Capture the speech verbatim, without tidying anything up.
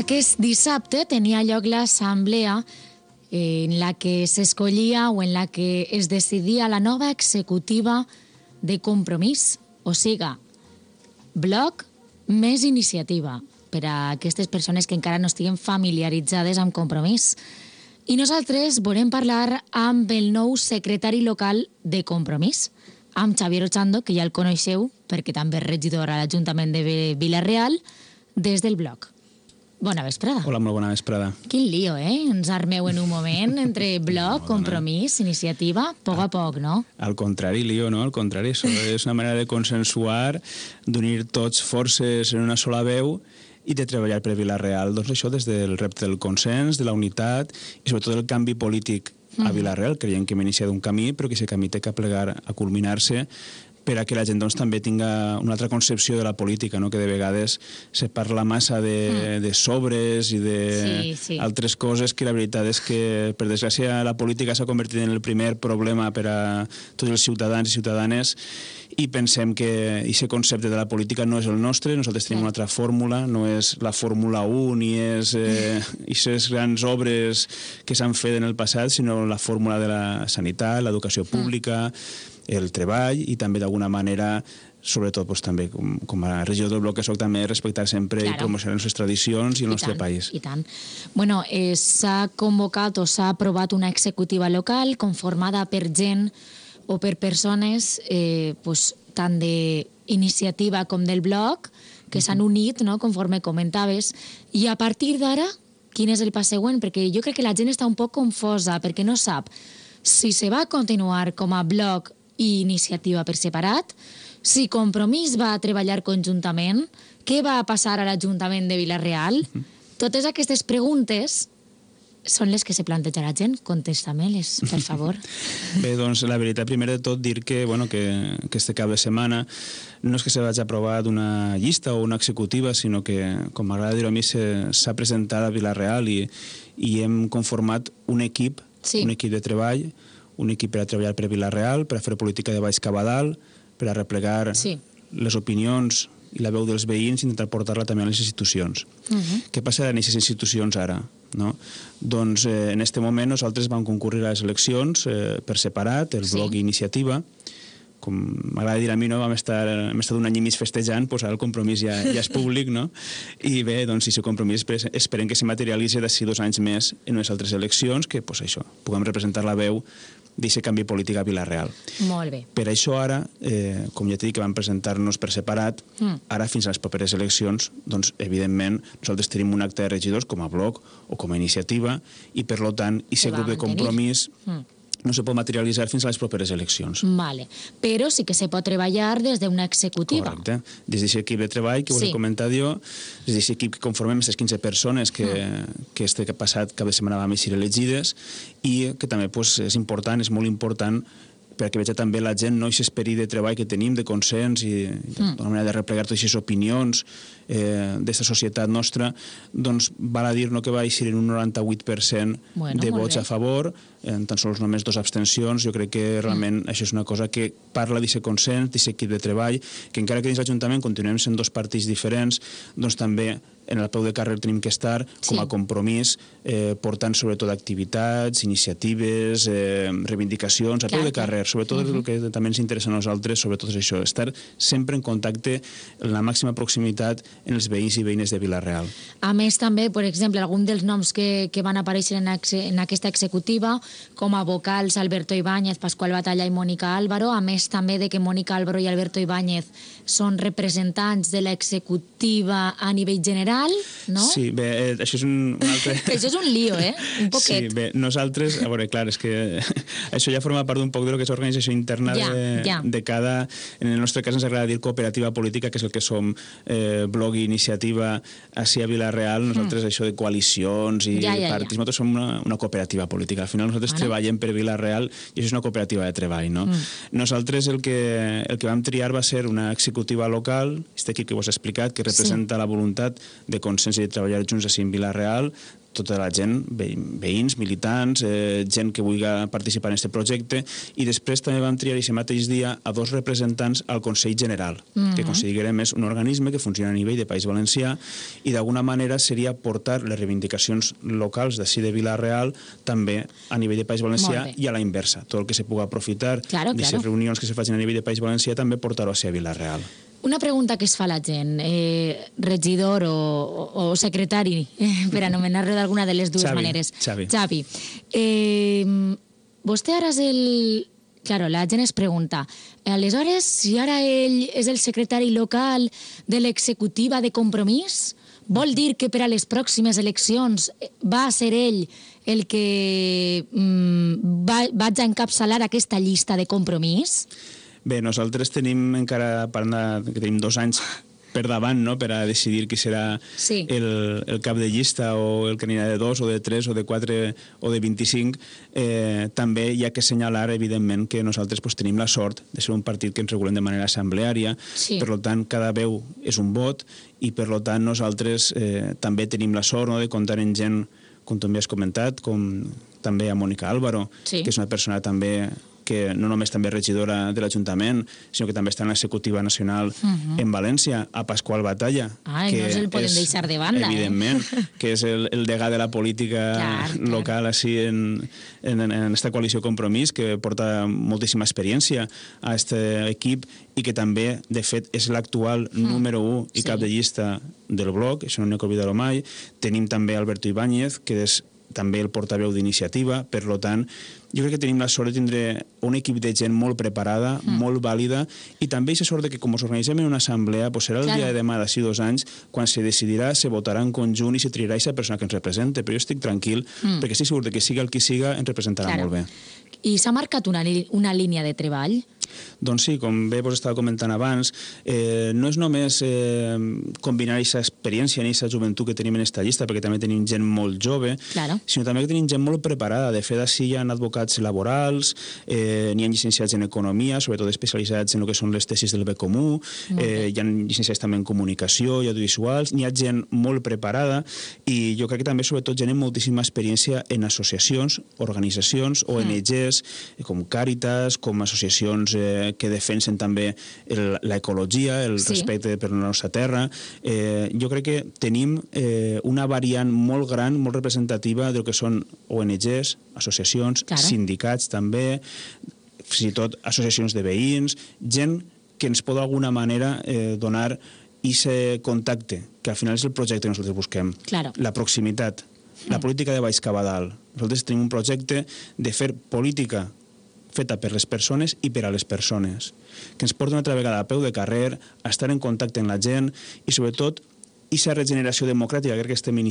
Aquest dissabte tenia lloc l'assemblea en la que s'escollia o en la que es decidia la nova executiva de Compromís, o siga, bloc més iniciativa per a aquestes persones que encara no estiguen familiaritzades amb Compromís. I nosaltres volem parlar amb el nou secretari local de Compromís, amb Xavier Ochando, que ja el coneixeu perquè també és regidor a l'Ajuntament de Vila-real, des del bloc. Bona vesprada. Hola, molt bona vesprada. Quin lío, eh? Ens armeu en un moment entre bloc, Compromís, iniciativa, a poc a poc, no? Al contrari, lío, no? Al contrari, això és una manera de consensuar, d'unir tots forces en una sola veu i de treballar per Vila-real. Doncs això des del repte del consens, de la unitat i sobretot del canvi polític a Vila-real. Creiem que hem iniciat un camí, però que aquest camí té que plegar a culminar-se per a que la gent doncs, també tinga una altra concepció de la política, no? Que de vegades se parla massa de, mm. de sobres i d'altres sí, sí. coses que la veritat és que, per desgràcia, la política s'ha convertit en el primer problema per a tots els ciutadans i ciutadanes i pensem que aquest concepte de la política no és el nostre, nosaltres tenim una altra fórmula, no és la Fórmula un ni és aquestes eh, grans obres que s'han fet en el passat, sinó la fórmula de la sanitat, l'educació pública, mm. el treball i també d'alguna manera, sobretot doncs, també com, com a regidor del bloc que soc, també respectar sempre claro. I promocionar les nostres tradicions i el I nostre tant, país. I tant. Bueno, eh, s'ha convocat o s'ha aprovat una executiva local conformada per gent o per persones eh, pues, tant d'iniciativa com del bloc que mm-hmm. s'han unit, no?, conforme comentaves, i a partir d'ara, quin és el pas següent? Perquè jo crec que la gent està un poc confosa perquè no sap si se va continuar com a bloc i iniciativa per separat, si Compromís va treballar conjuntament, què va passar a l'Ajuntament de Vila-real? Mm-hmm. Totes aquestes preguntes són les que se planteja la gent. Contesta-me-les, per favor. Bé, doncs la veritat, primer de tot, dir que, bueno, que, que este cap de setmana no és que se vagi aprovar d'una llista o una executiva, sinó que, com m'agrada dir-ho a mi, s'ha presentat a Vila-real i, i hem conformat un equip, sí. un equip de treball, un equip per a treballar per Vila-real, per a fer política de baix cap a dalt, per a replegar sí. les opinions i la veu dels veïns i intentar portar-la també a les institucions. Uh-huh. Què passa en aquestes institucions ara? No? Doncs eh, en aquest moment nosaltres vam concurrir a les eleccions eh, per separat, el sí. bloc i iniciativa. Com m'agrada dir a mi, no? Vam estar, hem estat un any i mig festejant, doncs ara el Compromís ja, ja és públic, no? I bé, doncs, si el Compromís esperem que se materialitzi d'ací dos anys més en unes altres eleccions, que, doncs això, puguem representar la veu d'aquest canvi polític a Vila-real. Molt bé. Per això ara, eh, com ja t'he dit que vam presentar-nos per separat, mm. ara fins a les properes eleccions, doncs, evidentment, nosaltres tenim un acte de regidors com a bloc o com a iniciativa i, per tant, aquest grup de Compromís mm. no se pot materialitzar fins a les properes eleccions. Vale. Però sí que se pot treballar des d'una executiva. Correcte. Des d'aquest equip de treball que us sí. he comentat jo, des d'aquest equip que conformem aquestes quinze persones que, mm. que este passat cap de setmana vam eixir elegides i que també pues, és important, és molt important perquè veig també la gent, no, aquest esperit de treball que tenim, de consens i mm. d'una manera de replegar totes aquestes opinions eh, d'aquesta societat nostra, doncs val a dir no, que va eixir en un noranta-vuit per cent bueno, de vots a favor, en tan sols només dos abstencions. Jo crec que realment mm. això és una cosa que parla d'aquest consens, d'aquest equip de treball, que encara que dins l'Ajuntament continuem sent dos partits diferents, doncs també en el peu de carrer tenim que estar com a compromís, eh, portant sobretot activitats, iniciatives, eh, reivindicacions, a peu de carrer, sobretot uh-huh. el que també ens interessa a nosaltres, sobretot és això, estar sempre en contacte, en la màxima proximitat en els veïns i veïnes de Vila-real. A més, també, per exemple, algun dels noms que, que van aparèixer en, exe, en aquesta executiva, com a vocals Alberto Ibáñez, Pascual Batalla i Mònica Álvaro, a més també de que Mònica Álvaro i Alberto Ibáñez són representants de l'executiva a nivell general, no? Sí, bé, eh, això és un, un altre... això és un lío, eh? Un poquet. Sí, bé, nosaltres, a veure, clar, és que això ja forma part d'un poc de lo que és l'organització interna ja, de, ja. de cada... En el nostre cas ens agrada dir cooperativa política, que és el que som eh, bloc i iniciativa ací a Vila-real. Nosaltres mm. això de coalicions i ja, ja, partits, ja. nosaltres som una, una cooperativa política. Al final nosaltres bueno. treballem per Vila-real i això és una cooperativa de treball, no? Mm. Nosaltres el que, el que vam triar va ser una executiva local, aquest equip que vos he explicat, que representa sí. la voluntat de consens i de treballar junts així en Vila-real, tota la gent, veïns, militants, eh, gent que vulgui participar en aquest projecte, i després també vam triar aquest mateix dia a dos representants al Consell General, mm-hmm. que considerem és un organisme que funciona a nivell de País Valencià i d'alguna manera seria portar les reivindicacions locals d'ací de Vila-real també a nivell de País Valencià i a la inversa. Tot el que se pugui aprofitar claro, d'aquestes claro. reunions que se facin a nivell de País Valencià també portar-ho a Vila-real. Una pregunta que es fa la gent, eh, regidor o, o, o secretari, eh, per anomenar-lo d'alguna de les dues Xavi, maneres. Xavi. Xavi. Eh, vostè ara és el... Claro, la gent es pregunta, aleshores, si ara ell és el secretari local de l'executiva de Compromís, vol dir que per a les pròximes eleccions va ser ell el que mm, va, vaig a encapçalar aquesta llista de Compromís? Bé, nosaltres tenim encara, parlant que tenim dos anys per davant, no?, per a decidir qui serà sí. el, el cap de llista o el que anirà de dos o de tres o de quatre o de vint-i-cinc. Eh, també hi ha que assenyalar, evidentment, que nosaltres pues, tenim la sort de ser un partit que ens regulem de manera assembleària, sí. per tant, cada veu és un vot i, per tant, nosaltres eh, també tenim la sort, no?, de comptar en gent, com també has comentat, com també a Mònica Álvaro, sí. que és una persona també que no només també és regidora de l'Ajuntament, sinó que també està en l'executiva nacional uh-huh. en València, a Pasqual Batalla. Ai, que no se'l poden és, deixar de banda, evidentment, eh? que és el, el degà de la política clar, local clar. així en, en, en esta coalició Compromís, que porta moltíssima experiència a aquest equip i que també, de fet, és l'actual mm. número u i sí. cap de llista del bloc, això no n'he que oblidar-ho mai. Tenim també Alberto Ibáñez, que és també el portaveu d'Iniciativa, per tant, jo crec que tenim la sort de tindre un equip de gent molt preparada, mm. molt vàlida, i també aquesta sort de que com us organitzem en una assemblea, pues serà el claro. dia de demà d'ací dos anys, quan se decidirà, se votarà en conjunt i se triarà aquesta persona que ens representa, però jo estic tranquil, mm. perquè estic segur que siga el qui siga, ens representarà claro. molt bé. I s'ha marcat una, una línia de treball? Doncs sí, com bé vos estava comentant abans, eh, no és només eh, combinar aquesta experiència i aquesta joventut que tenim en aquesta llista, perquè també tenim gent molt jove, claro. sinó també que tenim gent molt preparada. De fet, així hi ha advocats laborals, eh, n'hi ha llicenciats en economia, sobretot especialitzats en el que són les tesis del bé comú, eh, hi ha llicenciats també en comunicació i audiovisuals, n'hi ha gent molt preparada i jo crec que també, sobretot, gent amb moltíssima experiència en associacions, organitzacions, O N Ges, mm. com Càritas, com associacions eh, que defensen també l'ecologia, el sí. respecte per la nostra terra. Eh, jo crec que tenim eh, una variant molt gran, molt representativa del que són O N Ges, associacions, claro. sindicats també, fins i tot associacions de veïns, gent que ens pot d'alguna manera eh, donar aquest contacte, que al final és el projecte que nosaltres busquem. Claro. La proximitat, la política de baix cap a dalt. Nosaltres tenim un projecte de fer política feta per les persones i per a les persones, que ens porta una altra vegada a peu de carrer, a estar en contacte amb la gent i, sobretot, aquesta regeneració democràtica que estem iniciant